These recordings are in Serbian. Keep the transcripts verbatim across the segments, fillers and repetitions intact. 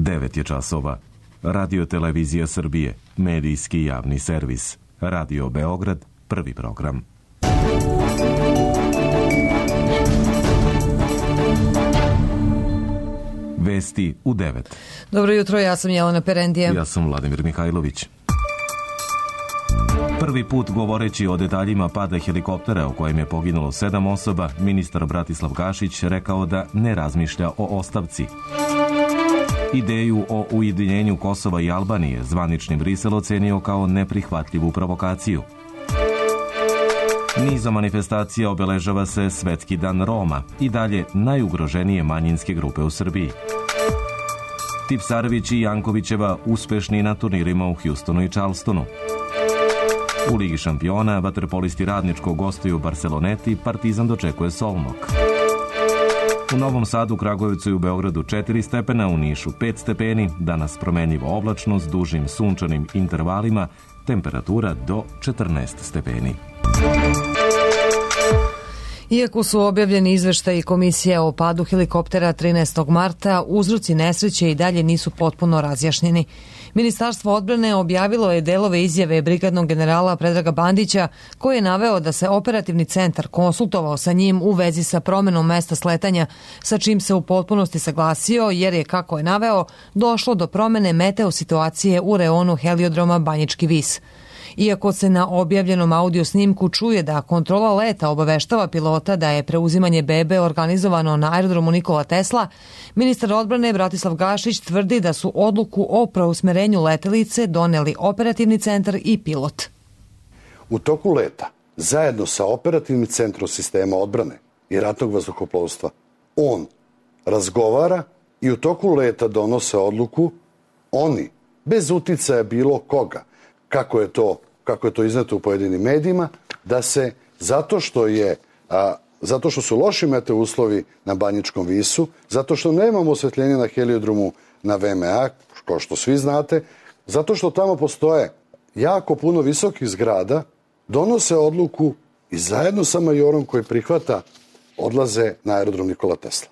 devet je časova. Radio Televizija Srbije, medijski javni servis. Radio Beograd, prvi program. Vesti u devet. Dobro jutro, ja sam Jelena Perendija. Ja sam Vladimir Mihajlović. Prvi put govoreći o detaljima pada helikoptera u kojem je poginulo sedam osoba, ministar Bratislav Gašić rekao da ne razmišlja o ostavci. Ideju o ujedinjenju Kosova i Albanije zvanični Brisel ocenio kao neprihvatljivu provokaciju. Nizom manifestacija obeležava se Svetski dan Roma, i dalje najugroženije manjinske grupe u Srbiji. Tipsarević i Jankovićeva uspešni na turnirima u Hjustonu i Charlestonu. U Ligi šampiona vaterpolisti Radničkog gostuju Barceloneti, Partizan dočekuje Solnok. U Novom Sadu, Kragujevcu i u Beogradu četiri stepena, u Nišu pet stepeni, danas promenljivo oblačno s dužim sunčanim intervalima, temperatura do četrnaest stepeni. Iako su objavljeni izveštaji komisije o padu helikoptera trinaestog marta, uzroci nesreće i dalje nisu potpuno razjašnjeni. Ministarstvo odbrane objavilo je delove izjave brigadnog generala Predraga Bandića, koji je naveo da se operativni centar konsultovao sa njim u vezi sa promenom mesta sletanja, sa čim se u potpunosti saglasio, jer je, kako je naveo, došlo do promene meteo situacije u reonu heliodroma Banjički vis. Iako se na objavljenom audio snimku čuje da kontrola leta obaveštava pilota da je preuzimanje bebe organizovano na aerodromu Nikola Tesla, ministar odbrane Bratislav Gašić tvrdi da su odluku o preusmerenju letelice doneli operativni centar i pilot. U toku leta, zajedno sa operativnim centrom sistema odbrane i ratnog vazduhoplovstva, on razgovara i u toku leta donose odluku, oni, bez uticaja bilo koga, kako je to, kako je to izneto u pojedinim medijima, da se, zato što je, a, zato što su loši meteo uslovi na Banjičkom visu, zato što nemamo osvetljenje na heliodromu na V M A, kao što svi znate, zato što tamo postoje jako puno visokih zgrada, donose odluku i zajedno sa majorom koji prihvata odlaze na aerodrom Nikola Tesla.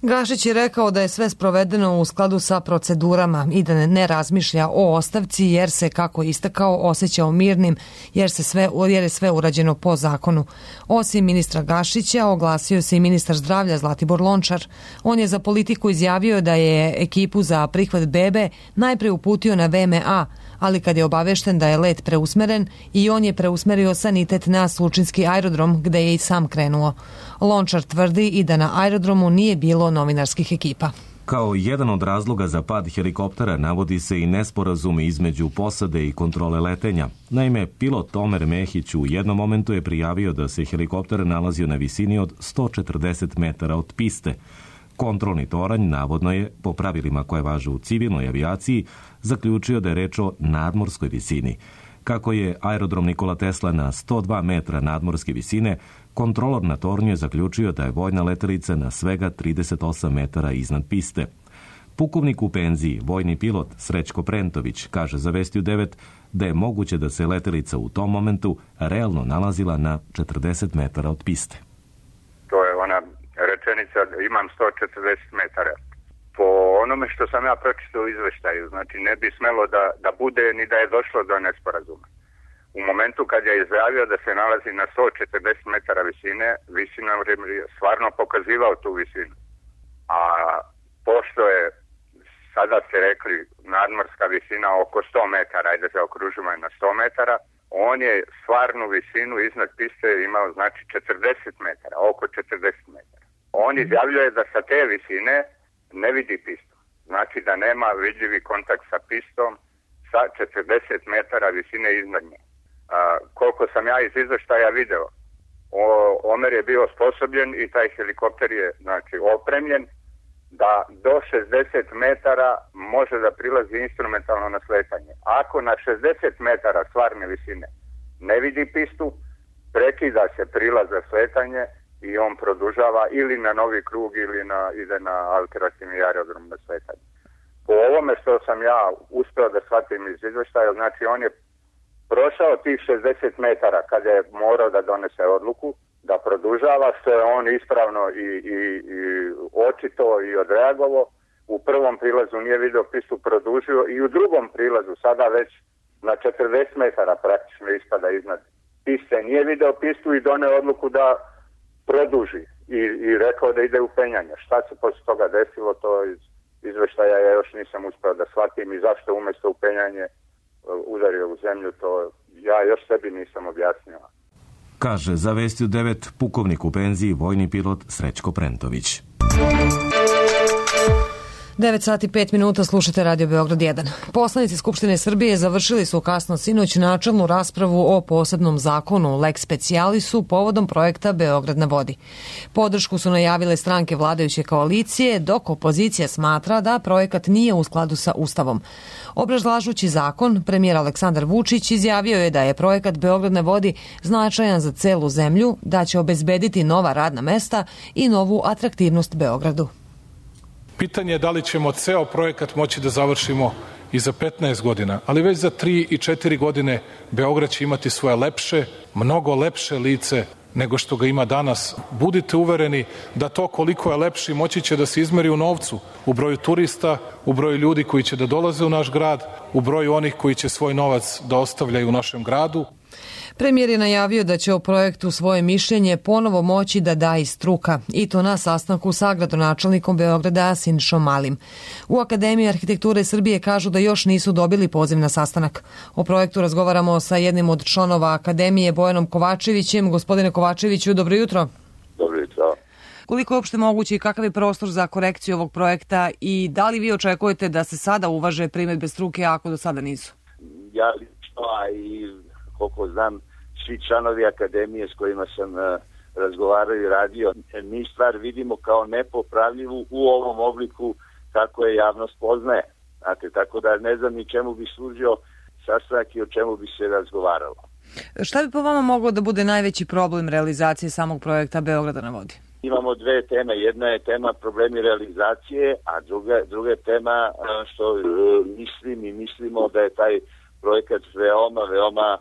Gašić je rekao da je sve sprovedeno u skladu sa procedurama i da ne razmišlja o ostavci jer se, kako je istakao, osjećao mirnim jer, se sve, jer je sve urađeno po zakonu. Osim ministra Gašića, oglasio se i ministar zdravlja Zlatibor Lončar. On je za Politiku izjavio da je ekipu za prihvat bebe najpre uputio na V M A, ali kad je obavešten da je let preusmeren, i on je preusmerio sanitet na Slučinski aerodrom gde je i sam krenuo. Lončar tvrdi i da na aerodromu nije bilo novinarskih ekipa. Kao jedan od razloga za pad helikoptera navodi se i nesporazum između posade i kontrole letenja. Naime, pilot Omer Mehić u jednom momentu je prijavio da se helikopter nalazio na visini od sto četrdeset metara od piste. Kontrolni toranj navodno je, po pravilima koje važe u civilnoj avijaciji, zaključio da je reč o nadmorskoj visini. Kako je aerodrom Nikola Tesla na sto dva metra nadmorske visine, kontrolor na tornju je zaključio da je vojna letelica na svega trideset osam metara iznad piste. Pukovnik u penziji, vojni pilot Srećko Prentović, kaže za Vesti u devet da je moguće da se letelica u tom momentu realno nalazila na četrdeset metara od piste. To je ona rečenica, imam sto četrdeset metara. Po onome što sam ja pročitao u izveštaju, znači ne bi smelo da, da bude ni da je došlo do nesporazuma. U momentu kad je izjavio da se nalazi na sto četrdeset metara visine, visina je stvarno pokazivao tu visinu. A pošto je, sada ste rekli, nadmorska visina oko sto metara, ajde se okružimo je na sto metara, on je stvarnu visinu iznad piste imao znači četrdeset metara, oko četrdeset metara. On izjavljuje da sa te visine ne vidi pistu. Znači da nema vidljivi kontakt sa pistom sa četrdeset metara visine iznad nje. A, koliko sam ja iz izveštaja video, o, Omer je bio osposobljen i taj helikopter je znači opremljen da do šezdeset metara može da prilazi instrumentalno na sletanje. Ako na šezdeset metara stvarne visine ne vidi pistu, prekida se prilaz za sletanje i on produžava ili na novi krug ili na, ide na alternativni aerodrom na sletanje. Po ovome što sam ja uspeo da shvatim iz izveštaja, znači on je prošao tih šezdeset metara kada je morao da donese odluku, da produžava, što je on ispravno i, i, i očito i odreagovao. u prvom prilazu nije video pistu, produžio i u drugom prilazu, sada već na četrdeset metara praktično ispada iznad piste, nije video pistu i doneo odluku da produži i, i rekao da ide u penjanje. Šta se posle toga desilo, to iz izveštaja ja još nisam uspeo da shvatim i zašto umjesto u penjanje udario u zemlju, to ja još sebi nisam objasnio. Kaže za Vesti u devet pukovnik u penziji, vojni pilot Srećko Prentović. devet sati pet minuta, slušate Radio Beograd jedan. Poslanici Skupštine Srbije završili su kasno sinoć načelnu raspravu o posebnom zakonu Lex Specialisu povodom projekta Beograd na vodi. Podršku su najavile stranke vladajuće koalicije, dok opozicija smatra da projekat nije u skladu sa Ustavom. Obrazlažući zakon, premijer Aleksandar Vučić izjavio je da je projekat Beograd na vodi značajan za celu zemlju, da će obezbediti nova radna mesta i novu atraktivnost Beogradu. Pitanje je da li ćemo ceo projekat moći da završimo i za petnaest godina, ali već za tri i četiri godine Beograd će imati svoje lepše, mnogo lepše lice nego što ga ima danas. Budite uvereni da to koliko je lepši moći će da se izmeri u novcu, u broju turista, u broju ljudi koji će da dolaze u naš grad, u broju onih koji će svoj novac da ostavljaju u našem gradu. Premijer je najavio da će o projektu svoje mišljenje ponovo moći da da i struka, i to na sastanku sa gradonačelnikom Beograda Sinišom Malim. U Akademiji arhitekture Srbije kažu da još nisu dobili poziv na sastanak. O projektu razgovaramo sa jednim od članova Akademije, Bojanom Kovačevićem. Gospodine Kovačeviću, dobro jutro. Dobro jutro. Koliko je uopšte moguće i kakav je prostor za korekciju ovog projekta i da li vi očekujete da se sada uvaže primedbe struke ako do sada nisu? Ja lično, a i koliko znam, svi članovi Akademije s kojima sam uh, razgovarao i radio, mi stvar vidimo kao nepopravljivu u ovom obliku kako je javnost poznaje. Znate, tako da ne znam ni čemu bi služio sastanak i o čemu bi se razgovaralo. Šta bi po vama moglo da bude najveći problem realizacije samog projekta Beograda na vodi? Imamo dve teme. Jedna je tema problemi realizacije, a druga, druga je tema uh, što uh, mislim i mislimo da je taj projekat veoma, veoma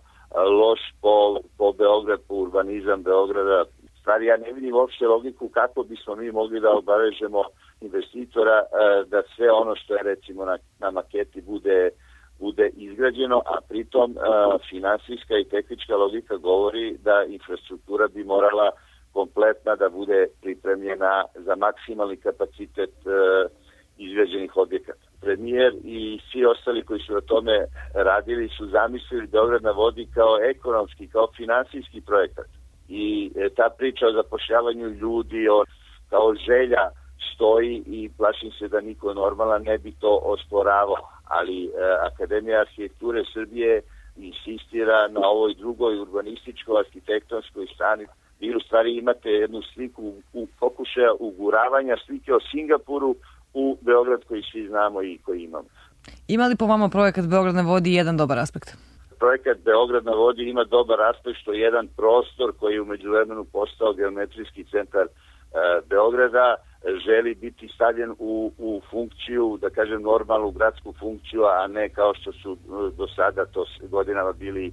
loš po, po Beograd, po urbanizam Beograda. Stvari, ja ne vidim uopšte logiku kako bismo mi mogli da obavežemo investitora da sve ono što je recimo na, na maketi bude, bude izgrađeno, a pritom finansijska i tehnička logika govori da infrastruktura bi morala kompletna da bude pripremljena za maksimalni kapacitet izgrađenih objekata. Premijer i svi ostali koji su na tome radili su zamislili Beograd na vodi kao ekonomski, kao finansijski projekat. I ta priča o zapošljavanju ljudi, o, kao želja stoji i plašim se da niko normalan ne bi to osporavao. Ali eh, Akademija arhitekture Srbije insistira na ovoj drugoj urbanističko-arhitektonskoj strani. Vi u stvari imate jednu sliku u pokušaja uguravanja slike o Singapuru u Beograd koji svi znamo i koji imamo. Ima li po vama projekat Beograd na vodi jedan dobar aspekt? Projekat Beograd na vodi ima dobar aspekt što je jedan prostor koji je u međuvremenu postao geometrijski centar e, Beograda želi biti stavljen u, u funkciju, da kažem normalnu gradsku funkciju, a ne kao što su do sada to godinama bili e,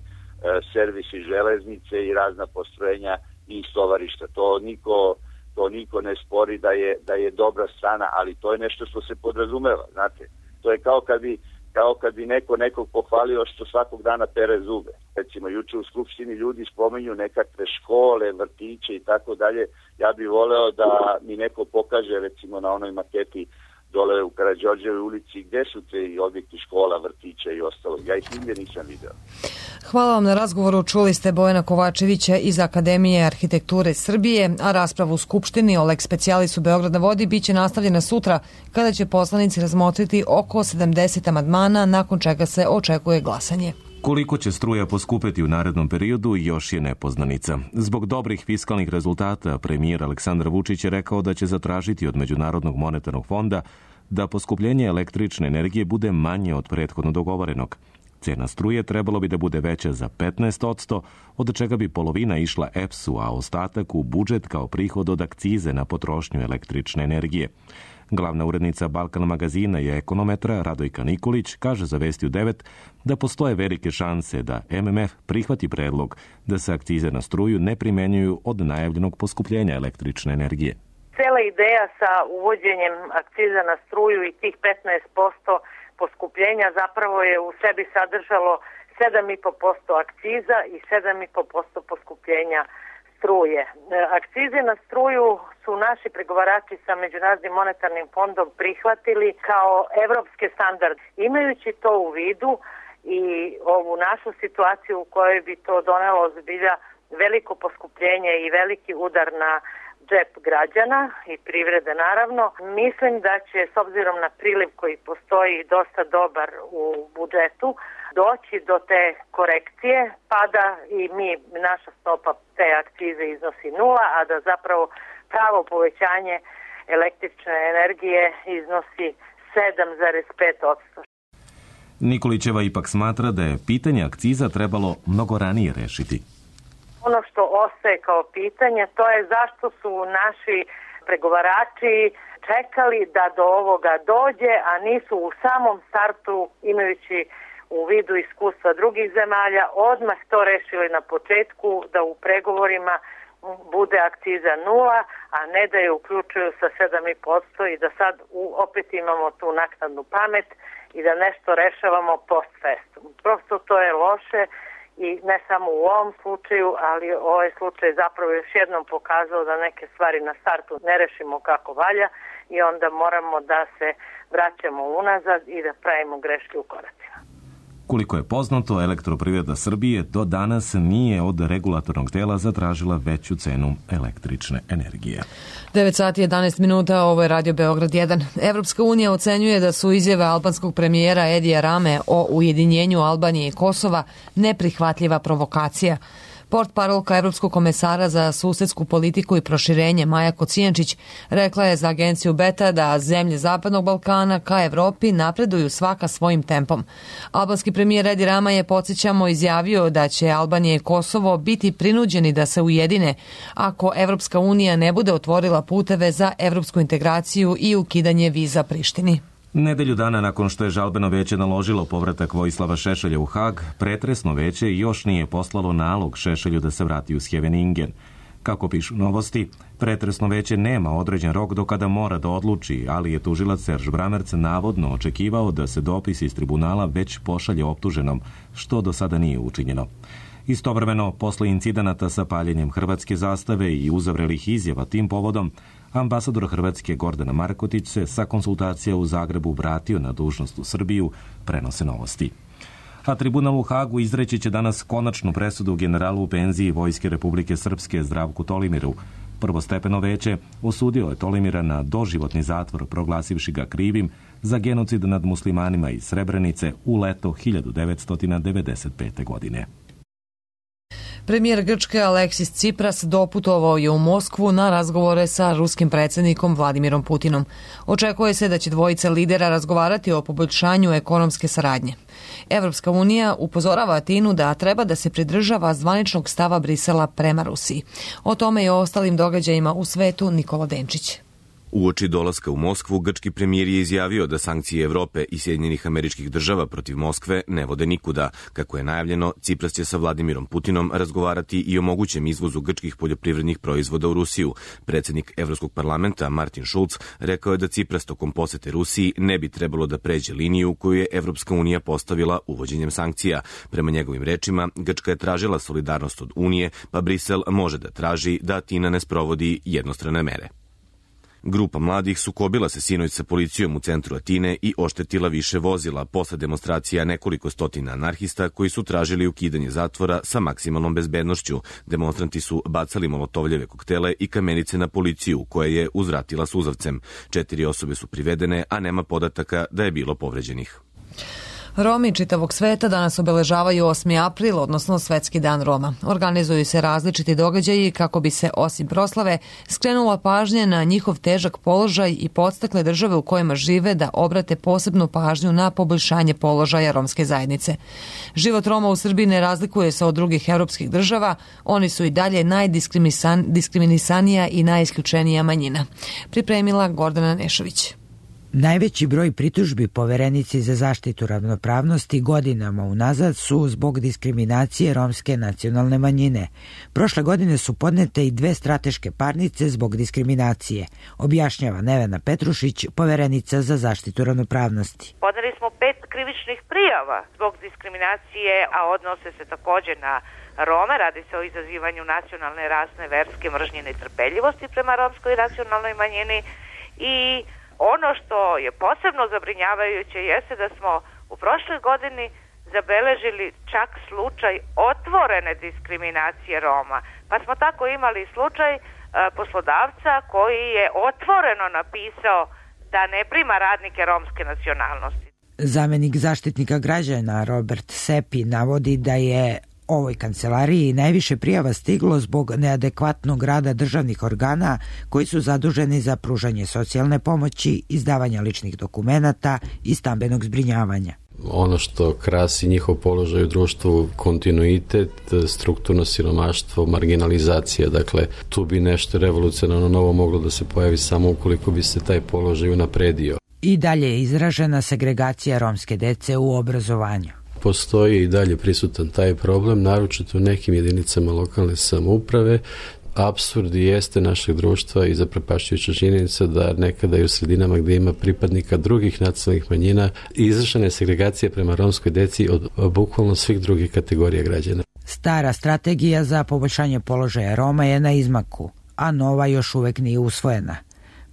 servisi železnice i razna postrojenja i stovarišta. To niko To niko ne spori da je, da je dobra strana, ali to je nešto što se podrazumeva, znate. To je kao kad bi, kao kad bi neko nekog pohvalio što svakog dana pere zube. Recimo, juče u Skupštini ljudi spominju nekakve škole, vrtiće i tako dalje. Ja bih voleo da mi neko pokaže, recimo, na onoj maketi dole u Karađorđevoj ulici, gde su te objekti škola, vrtića i ostalo. Ja ih nigde nisam video. Hvala vam na razgovoru. Čuli ste Bojana Kovačevića iz Akademije arhitekture Srbije, a raspravu u Skupštini o Lex Specialisu Beograd na vodi biće nastavljena sutra kada će poslanici razmotriti oko sedamdeset amandmana, nakon čega se očekuje glasanje. Koliko će struja poskupeti u narednom periodu još je nepoznanica. Zbog dobrih fiskalnih rezultata premijer Aleksandar Vučić je rekao da će zatražiti od Međunarodnog monetarnog fonda da poskupljenje električne energije bude manje od prethodno dogovorenog. Cena struje trebalo bi da bude veća za petnaest posto, od čega bi polovina išla E P S-u, a ostatak u budžet kao prihod od akcize na potrošnju električne energije. Glavna urednica Balkan magazina i ekonometra Radojka Nikolić kaže za Vesti u devet da postoje velike šanse da M M F prihvati predlog da se akcize na struju ne primenjuju od najavljenog poskupljenja električne energije. Cela Cijela ideja sa uvođenjem akciza na struju i tih petnaest posto poskupljenja zapravo je u sebi sadržalo sedam i po posto akciza i sedam i po posto poskupljenja struje. Akcize na struju su naši pregovarači sa Međunarodnim monetarnim fondom prihvatili kao evropske standarde. Imajući to u vidu i ovu našu situaciju u kojoj bi to donelo zbilja veliko poskupljenje i veliki udar na džep građana i privrede naravno, mislim da će s obzirom na priliv koji postoji dosta dobar u budžetu doći do te korekcije pa da i mi, naša stopa te akcize iznosi nula, a da zapravo pravo povećanje električne energije iznosi sedam zarez pet posto. Nikolićeva ipak smatra da je pitanje akciza trebalo mnogo ranije rešiti. Ono što ostaje kao pitanje, to je zašto su naši pregovarači čekali da do ovoga dođe, a nisu u samom startu, imajući u vidu iskustva drugih zemalja, odmah to rešili na početku, da u pregovorima bude akciza nula, a ne da je uključuju sa sedam i po posto i da sad opet imamo tu naknadnu pamet i da nešto rešavamo post festum. Prosto to je loše. I ne samo u ovom slučaju, ali ovaj slučaj zapravo još jednom pokazao da neke stvari na startu ne rešimo kako valja i onda moramo da se vraćamo unazad i da pravimo greške u koracima. Koliko je poznato, Elektroprivreda Srbije do danas nije od regulatornog tela zatražila veću cenu električne energije. devet sati i jedanaest minuta, ovo je Radio Beograd jedan. Evropska unija ocenjuje da su izjave albanskog premijera Edija Rame o ujedinjenju Albanije i Kosova neprihvatljiva provokacija. Portparolka Evropskog komesara za susedsku politiku i proširenje Maja Kocijančić rekla je za agenciju Beta da zemlje Zapadnog Balkana ka Evropi napreduju svaka svojim tempom. Albanski premijer Edi Rama je, podsjećamo, izjavio da će Albanija i Kosovo biti prinuđeni da se ujedine ako Evropska unija ne bude otvorila puteve za evropsku integraciju i ukidanje viza Prištini. Nedelju dana nakon što je žalbeno veće naložilo povratak Vojislava Šešelja u Hag, pretresno veće još nije poslalo nalog Šešelju da se vrati u Scheveningen. Kako pišu Novosti, pretresno veće nema određen rok do kada mora da odluči, ali je tužilac Serž Bramerc navodno očekivao da se dopis iz tribunala već pošalje optuženom, što do sada nije učinjeno. Istovremeno, posle incidenata sa paljenjem hrvatske zastave i uzavrelih izjava tim povodom, ambasador Hrvatske Gordana Markotić se sa konsultacija u Zagrebu vratio na dužnost u Srbiju, prenose Novosti. A tribunal u Hagu izreći će danas konačnu presudu generalu u penziji Vojske Republike Srpske Zdravku Tolimiru. Prvostepeno veće osudio je Tolimira na doživotni zatvor, proglasivši ga krivim za genocid nad muslimanima iz Srebrenice u leto hiljadu devetsto devedeset pete. godine. Premijer Grčke Aleksis Tsipras doputovao je u Moskvu na razgovore sa ruskim predsjednikom Vladimirom Putinom. Očekuje se da će dvojica lidera razgovarati o poboljšanju ekonomske saradnje. Evropska unija upozorava Atinu da treba da se pridržava zvaničnog stava Brisela prema Rusiji. O tome i o ostalim događajima u svetu Nikola Denčić. Uoči dolaska u Moskvu, grčki premijer je izjavio da sankcije Evrope i Sjedinjenih Američkih Država protiv Moskve ne vode nikuda. Kako je najavljeno, Tsipras će sa Vladimirom Putinom razgovarati i o mogućem izvozu grčkih poljoprivrednih proizvoda u Rusiju. Predsjednik Evropskog parlamenta Martin Schulz rekao je da Tsipras tokom posete Rusiji ne bi trebalo da pređe liniju koju je Evropska unija postavila uvođenjem sankcija. Prema njegovim rečima, Grčka je tražila solidarnost od Unije, pa Brisel može da traži da Atina ne sprovodi jednostrane mere. Grupa mladih sukobila se sinoć sa policijom u centru Atine i oštetila više vozila posle demonstracija nekoliko stotina anarhista koji su tražili ukidanje zatvora sa maksimalnom bezbednošću. Demonstranti su bacali molotovljeve koktele i kamenice na policiju, koja je uzvratila suzavcem. Četiri osobe su privedene, a nema podataka da je bilo povređenih. Romi čitavog sveta danas obeležavaju osmi april, odnosno Svetski dan Roma. Organizuju se različiti događaji kako bi se, osim proslave, skrenula pažnja na njihov težak položaj i podstakle države u kojima žive da obrate posebnu pažnju na poboljšanje položaja romske zajednice. Život Roma u Srbiji ne razlikuje se od drugih evropskih država, oni su i dalje najdiskriminisanija i najisključenija manjina. Pripremila Gordana Nešović. Najveći broj pritužbi Poverenici za zaštitu ravnopravnosti godinama unazad su zbog diskriminacije romske nacionalne manjine. Prošle godine su podnete i dve strateške parnice zbog diskriminacije, objašnjava Nevena Petrušić, Poverenica za zaštitu ravnopravnosti. Podneli smo pet krivičnih prijava zbog diskriminacije, a odnose se također na Rome. Radi se o izazivanju nacionalne, rasne, verske mržnje i netrpeljivosti prema romskoj nacionalnoj manjini. I ono što je posebno zabrinjavajuće jeste da smo u prošloj godini zabeležili čak slučaj otvorene diskriminacije Roma. Pa smo tako imali slučaj e, poslodavca koji je otvoreno napisao da ne prima radnike romske nacionalnosti. Zamenik zaštitnika građana Robert Sepi navodi da je ovoj kancelariji najviše prijava stiglo zbog neadekvatnog rada državnih organa koji su zaduženi za pružanje socijalne pomoći, izdavanja ličnih dokumenata i stambenog zbrinjavanja. Ono što krasi njihov položaj u društvu, kontinuitet, strukturno siromaštvo, marginalizacija. Dakle, tu bi nešto revolucionarno novo moglo da se pojavi samo ukoliko bi se taj položaj unapredio. I dalje je izražena segregacija romske dece u obrazovanju. Postoji i dalje prisutan taj problem, naročito u nekim jedinicama lokalne samouprave. Apsurd jeste našeg društva i zaprepašćujuća činjenica da nekada i u sredinama gdje ima pripadnika drugih nacionalnih manjina izvršena je segregacija prema romskoj deci od bukvalno svih drugih kategorija građana. Stara strategija za poboljšanje položaja Roma je na izmaku, a nova još uvek nije usvojena.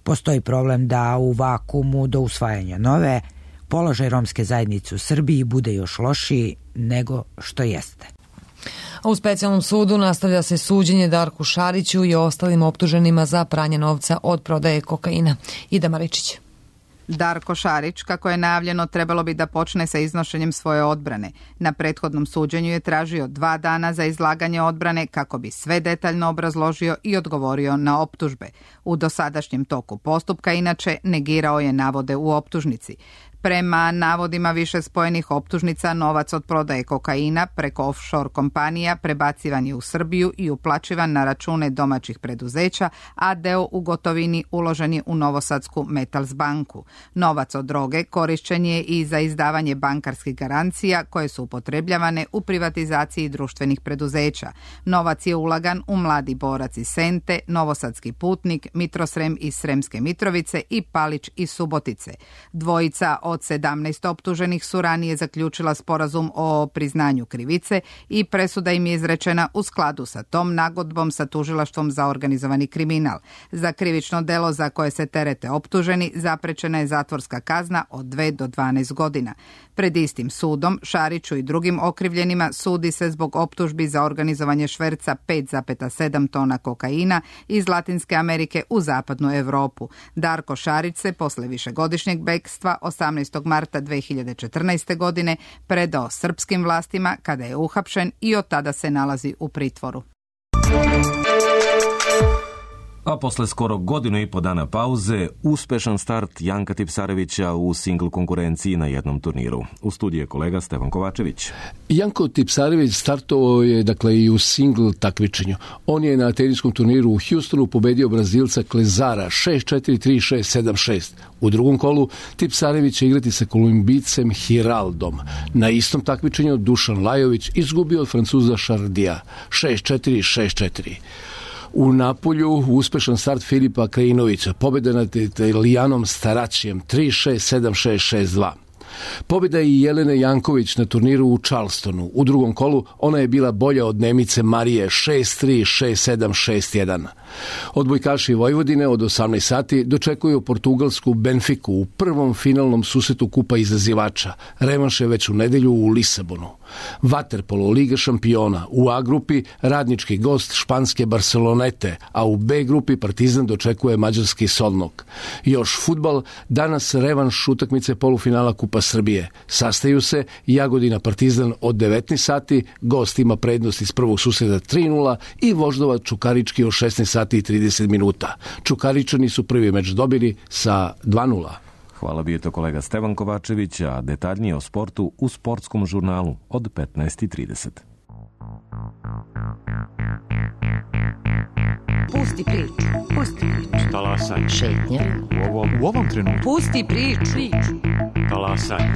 Postoji problem da u vakumu do usvajanja nove položaj romske zajednice u Srbiji bude još lošiji nego što jeste. U specijalnom sudu nastavlja se suđenje Darku Šariću i ostalim optuženima za pranje novca od prodaje kokaina. Ida Maričić. Darko Šarić, kako je najavljeno, trebalo bi da počne sa iznošenjem svoje odbrane. Na prethodnom suđenju je tražio dva dana za izlaganje odbrane kako bi sve detaljno obrazložio i odgovorio na optužbe. U dosadašnjem toku postupka, inače, negirao je navode u optužnici. Prema navodima više spojenih optužnica, novac od prodaje kokaina preko offshore kompanija prebacivan je u Srbiju i uplaćivan na račune domaćih preduzeća, a deo u gotovini uložen je u novosadsku Metals banku. Novac od droge korišćen je i za izdavanje bankarskih garancija koje su upotrebljavane u privatizaciji društvenih preduzeća. Novac je ulagan u Mladi borac iz Sente, Novosadski putnik, Mitrosrem iz Sremske Mitrovice i Palić iz Subotice. Dvojica od sedamnaest optuženih su ranije zaključila sporazum o priznanju krivice i presuda im je izrečena u skladu sa tom nagodbom sa tužilaštvom za organizovani kriminal. Za krivično delo za koje se terete optuženi zaprečena je zatvorska kazna od dve do dvanaest godina. Pred istim sudom Šariću i drugim okrivljenima sudi se zbog optužbi za organizovanje šverca pet zarez sedam tona kokaina iz Latinske Amerike u zapadnu Evropu. Darko Šarić se posle višegodišnjeg bekstva osamnaestog marta dve hiljade četrnaeste. godine predao srpskim vlastima kada je uhapšen i od tada se nalazi u pritvoru. A posle skoro godinu i po dana pauze, uspešan start Janka Tipsarevića u singl konkurenciji na jednom turniru. U studiju je kolega Stevan Kovačević. Janko Tipsarević startovao je dakle i u singl takmičenju. On je na teniskom turniru u Houstonu pobedio Brazilca Klezara šest četiri, tri šest, sedam šest. U drugom kolu Tipsarević će igrati sa Kolumbijcem Hiraldom. Na istom takmičenju Dušan Lajović izgubio od Francuza Šardija šest četiri, šest četiri. U Napolju uspešan start Filipa Krajinovića, pobjeda nad Italijanom Staračijem tri šest, sedam šest, šest dva. Pobjeda i Jelene Janković na turniru u Charlestonu. U drugom kolu ona je bila bolja od Nemice Marije šest tri, šest sedam, šest jedan. Odbojkaši Vojvodine od osamnaest sati dočekuju portugalsku Benfiku u prvom finalnom susretu Kupa izazivača. Revanš je već u nedelju u Lisabonu. Vaterpolo Liga šampiona. U A grupi radnički gost španske Barcelonete, a u B grupi Partizan dočekuje mađarski Solnog. Još fudbal, danas revanš utakmice polufinala Kupa Srbije. Sastaju se Jagodina Partizan od devetnaest sati, gost ima prednost iz prvog susreta tri nula i Voždova Čukarički od šesnaest sati i trideset minuta. Čukaričani su prvi meč dobili sa dva nula. Hvala, bio je to kolega Stevan Kovačević, a detaljnije o sportu u sportskom žurnalu od petnaest i trideset. Pusti priču, pusti priču. Talasanje. Šetnja. U ovom, u ovom trenutku. Pusti priču. Talasanje.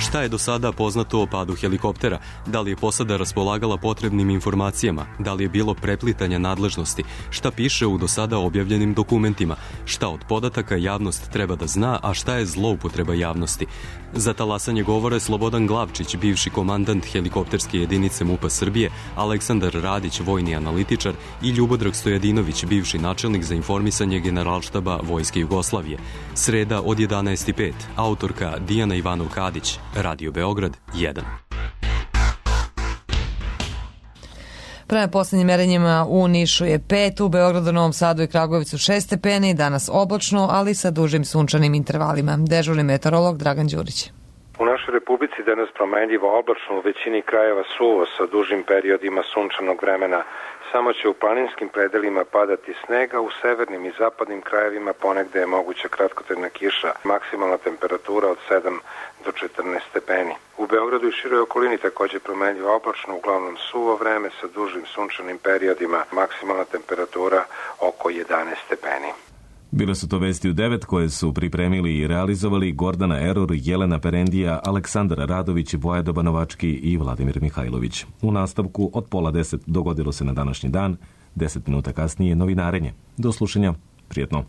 Šta je do sada poznato o padu helikoptera? Da li je posada raspolagala potrebnim informacijama? Da li je bilo preplitanja nadležnosti? Šta piše u do sada objavljenim dokumentima? Šta od podataka javnost treba da zna, a šta je zloupotreba javnosti? Za talasanje govore Slobodan Glavčić, bivši komandant helikopterske jedinice MUP-a Srbije, Aleksandar Radić, vojni analitičar i Ljubodrag Stojadinović, bivši načelnik za informisanje Generalštaba Vojske Jugoslavije. Sreda od jedanaest i pet. Autorka Dijana Ivanov-Kadić. Radio Beograd jedan. Prema poslednjim merenjima u Nišu je pet, u Beogradu, Novom Sadu i Kragujevcu šest stepeni, danas oblačno, ali sa dužim sunčanim intervalima. Dežurni meteorolog Dragan Đurić. U našoj Republici danas promenljivo oblačno, u većini krajeva suvo sa dužim periodima sunčanog vremena. Samo će u planinskim predelima padati snega, u severnim i zapadnim krajevima ponegde je moguća kratkotrajna kiša, maksimalna temperatura od sedam do četrnaest stepeni. U Beogradu i široj okolini takođe promenljivo oblačno, uglavnom suvo vreme sa dužim sunčanim periodima, maksimalna temperatura oko jedanaest stepeni. Bile su to vesti u devet koje su pripremili i realizovali Gordana Eror, Jelena Perendija, Aleksandar Radović, Vojada Banovački i Vladimir Mihajlović. U nastavku od pola deset dogodilo se na današnji dan, deset minuta kasnije novinarenje. Do slušanja, prijetno.